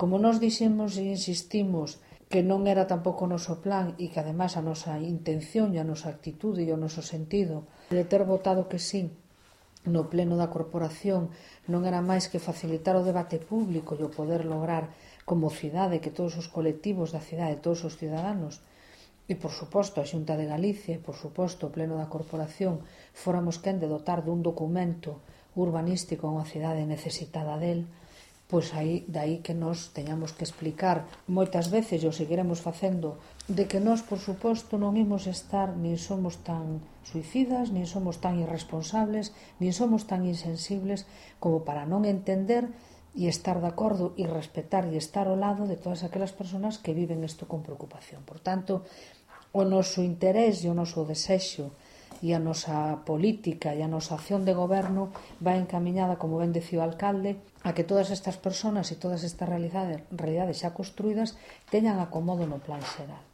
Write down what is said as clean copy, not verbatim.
Como nós dixemos e insistimos que non era tampouco o noso plan e que ademais a nosa intención e a nosa actitude e o noso sentido de ter votado que sí no pleno da corporación non era máis que facilitar o debate público e o poder lograr como cidade que todos os colectivos da cidade, todos os ciudadanos e, por suposto, a Xunta de Galicia e, por suposto, o pleno da corporación fóramos quen de dotar dun documento urbanístico a unha cidade necesitada del, pois aí, daí que nós teñamos que explicar moitas veces, e o seguiremos facendo, de que nós, por suposto, non imos estar, nin somos tan suicidas, nin somos tan irresponsables, nin somos tan insensibles como para non entender e estar de acordo e respetar e estar ao lado de todas aquelas persoas que viven isto con preocupación. Por tanto, o noso interés e o noso desexo e a nosa política e a nosa acción de goberno vai encamiñada, como ben decía o alcalde, a que todas estas persoas e todas estas realidades xa construídas teñan acomodo no plan xeral.